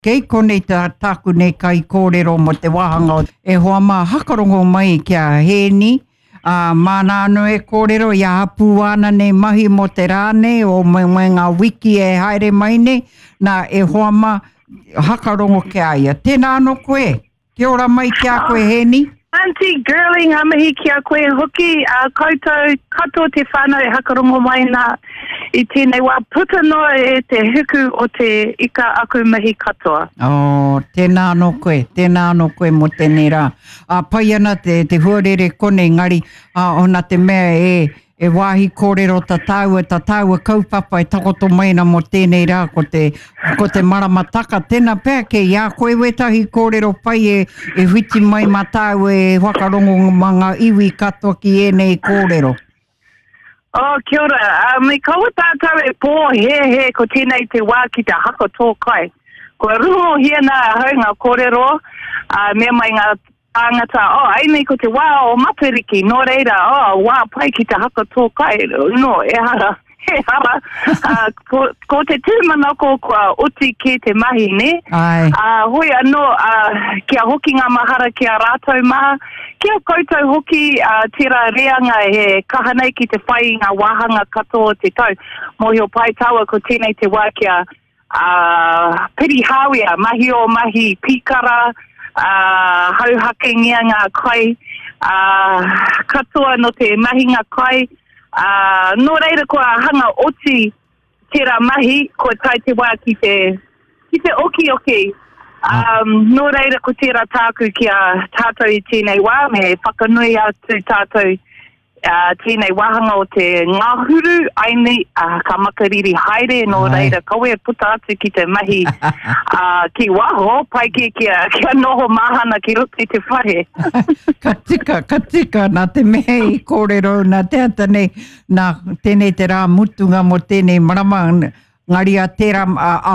Kei konei tā tāku nei kaikōrero mō te wāhanga o E hoa mā hakarongo mai ki a Hēni, ā, māna anō e kōrero i a hapū āna nei mahi mō te rā nei o me, me ngā wiki e haere mai nei, nā, e hoa mā, hakarongo ki a ia. Tēnā anō koe. Kia ora mai ki a koe, Hēni. Aunty Girlie, ngā mihi ki a koe hoki, a koutou katoa te whānau e hakarongo mai nā i tēnei wā, puta noa e te hiku o te ika aku mihi katoa. Oh, tēnā anō koe, tēnā anō koe mō tēnei rā. Ā, pai ana te, te huarere konei, engari, ā, ona te mea e, E wāhi kōrero ta tāua, ta tāua kaupapa e takoto mai ana mō tēnei rā, ko te, ko te maramataka. Tēnā pea kei a koe wētahi kōrero pai e, e whiti mai mā tāua e whakarongo mā ngā iwi katoa ki ēnei kōrero. Oh, kia ora. Uh, me kaua tātou e pōhēhē ko tēnei te wā ki te haka tō kai. Kua rongohia nā ahau ngā kōrero, uh, mea mai ngā tāngata, oh, ainei ko te wā o Matariki, nō reira, oh, wā pai ki te haka tō kai, no, ehara, ehara, uh, ko, ko te tūmanako kua oti kē te mahi, nē? Ai. Uh, hoi anō, uh, kia hoki ngā mahara ki a rātou mā, ki a koutou hoki, uh, tērā reanga he kaha nei ki te whai i ngā wāhanga katoa o te tau. Mōhio pai tāua ko tēnei te wā kia ā, piri hāwea, mahi ō mahi pīkara, ā, hauhakengia ngā kai, ā, katoa nō te mahinga kai, ā, nō reira kua hanga oti tērā mahi, kua tae te wā ki te, ki te okioki. Ā, nō reira ko tērā tāku ki a tātou i tēnei wā, me whakanui atu tātou ā, tēnei wāhanga o te ngahuru, aini, ā, ka makariri haere, nō reira, kawe e puta atu ki te mahi, ā, ki waho, pai kē kia, kia noho mahana ki roto i te whare. Ka tika, ka tika, nā te mea i kōrero nā te ata nei, nā, tēnei te rā mutunga mō tēnei marama, ngari a tērā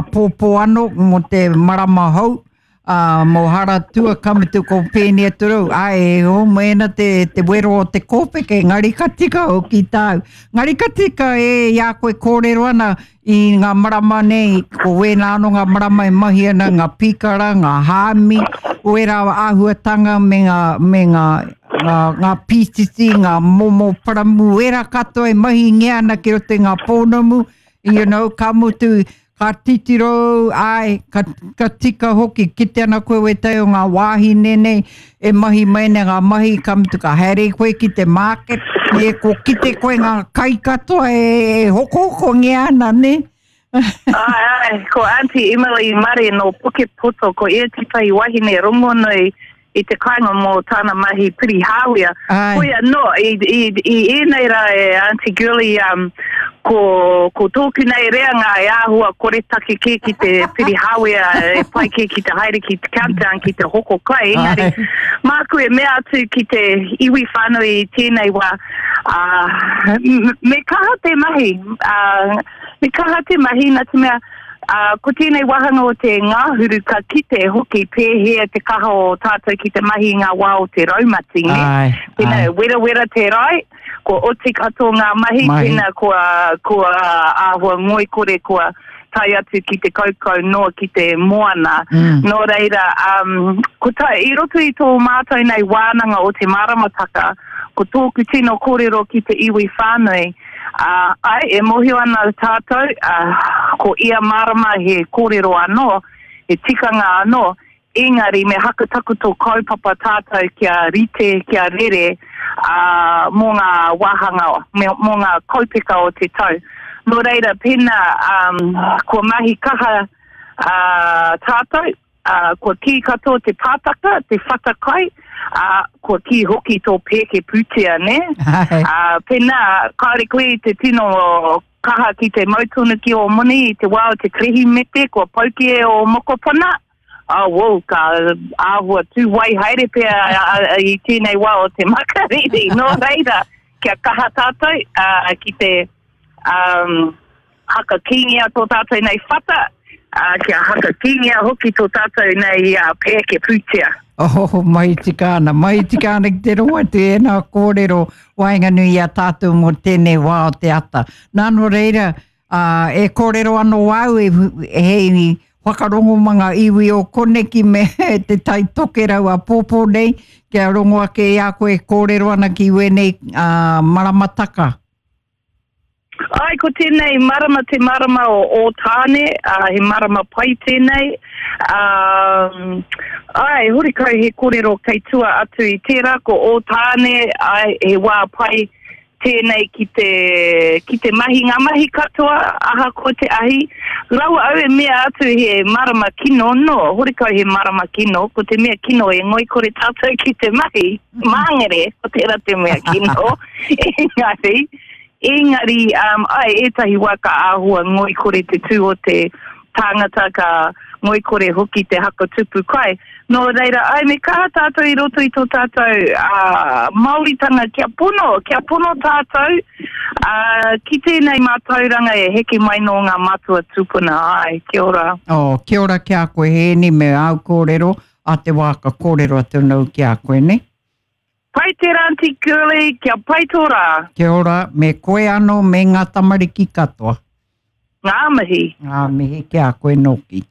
āpōpō anō mō te marama hou, Ā, mō Haratua ka mutu ko Pēnia Turou, āe, e homai ana te, te wero o te kōpeke, engari ka tika hoki tāu. Engari ka tika e i a koe kōrero ana i ngā marama nei, ko wēnā anō ngā marama e mahi ana ngā pīkara, ngā hāmi, wērā āhuatanga me ngā, me ngā, ngā, ngā pītiti, ngā momo paramu, wērā katoa e mahingia ana ki roto i ngā pounamu, you know, ka mutu, Ka titiro, āe, ka, ka tika hoki, kite ana koe wētahi o ngā wāhine nei e mahi mai ana ngā mahi, ka mutu ka haere koe ki te market, nē, ko kite koe ngā kai katoa e, e hokohokongia ana, nē? Āe, āe, ko Aunty Emily Mare nō Pukepoto, ko ia tētahi wahine rongonui i te kāinga mō tāna mahi piri hāwea. Hoi anō, i, i, i ēnei rā e Aunty Girlie, um, ko, ko tōku nei reanga e āhua koretake kē ki te piri hāwea, e pai kē ki te haere ki te countdown ki te hoko kai, engari māku e mea atu ki te iwi whānui i tēnei wā, uh, me kaha te mahi, uh, me kaha te mahi, nā te mea, Ā, ko tēnei wāhanga o te ngahuru ka kite hoki pēhea te kaha o tātou ki te mahi i ngā wā o te raumati, nē? Āe, Pēnā āe. werawera te rae, kua oti katoa ngā mahi, Mahi. pēnā kua, kua āhua ngoikore, kua tae atu ki te kaukau noa ki te moana. Mm. Nō reira, um, ko tā, i roto i tō mātou nei wānanga o te maramataka, ko tōku tino kōrero ki te iwi whānui, Ā, āe, e mōhio ana tātou, ā, ko ia marama he kōrero anō, he tikanga anō, engari me hakatakoto kaupapa tātou kia rite, kia rere, ā, mō ngā wāhanga, mō ngā kaupeka o te tau. Nō reira, pēnā, ā, kua mahi kaha, ā, tātou, Ā, kua kī katoa te pātaka, te whata kai, ā, kua kī hoki tō pēke pūtea, nē? Ā, pēnā, kāore koe i te tino kaha ki te mau tonu ki ō moni i te wā o te Kirihimete, kua pau kē ō mokopuna, ā, wou, ka āhua tū wai haere pea i tēnei wā o te makariri. Nō reira, kia kaha tātou, ā, ki te, um, Hakakīngia tō tātou nei whata, ā, kia hakakīngia hoki tō tātou nei pēke pūtea. Oh, mai tika ana, mai tika ana ki te rongo atu i ēnā kōrero waenganui i a tātou mō tēnei wā o te ata. Nā, nō reira, ā, e kōrero anō au e, hei whakarongo ma ngā iwi o koneki me te Tai Tokerau āpōpō nei, kia rongo ake i a koe e kōrero ana ki wēnei maramataka. Āe, ko tēnei marama te marama o Ōtāne, ā, he marama pai tēnei. Ā, āe, horekau he kōrero kei tua atu i tērā, ko Ōtāne, āe, he wā pai tēnei ki te, ki te mahi ngā mahi katoa, ahakoa te ahi. Rawa au e mea atu he marama kino, no, horekau he marama kino, ko te mea kino e ngoikore tātou ki te mahi, māngere, ko tērā te mea kino, engari, engari, um, ai, ētahi wā ka āhua ngoikore te tū o te tāngata, ka ngoikore hoki te haka tupu kai. Nō reira, ai, me kaha tātou i roto i tō tātou uh, Māoritanga kia pono, kia pono tātou uh, ki tēnei mātauranga e heke mai nō ngā matua tūpuna. Ai, kia ora. Oh, kia ora ki a koe Hēni me āu kōrero, a te wā ka kōrero atu nau ki a koe, ne? Pai te rā, Aunty Girlie, kia pai tō rā. Kia ora, me koe anō me ngā tamariki katoa. Ngā mihi. Ngā mihi ki a koe nōki.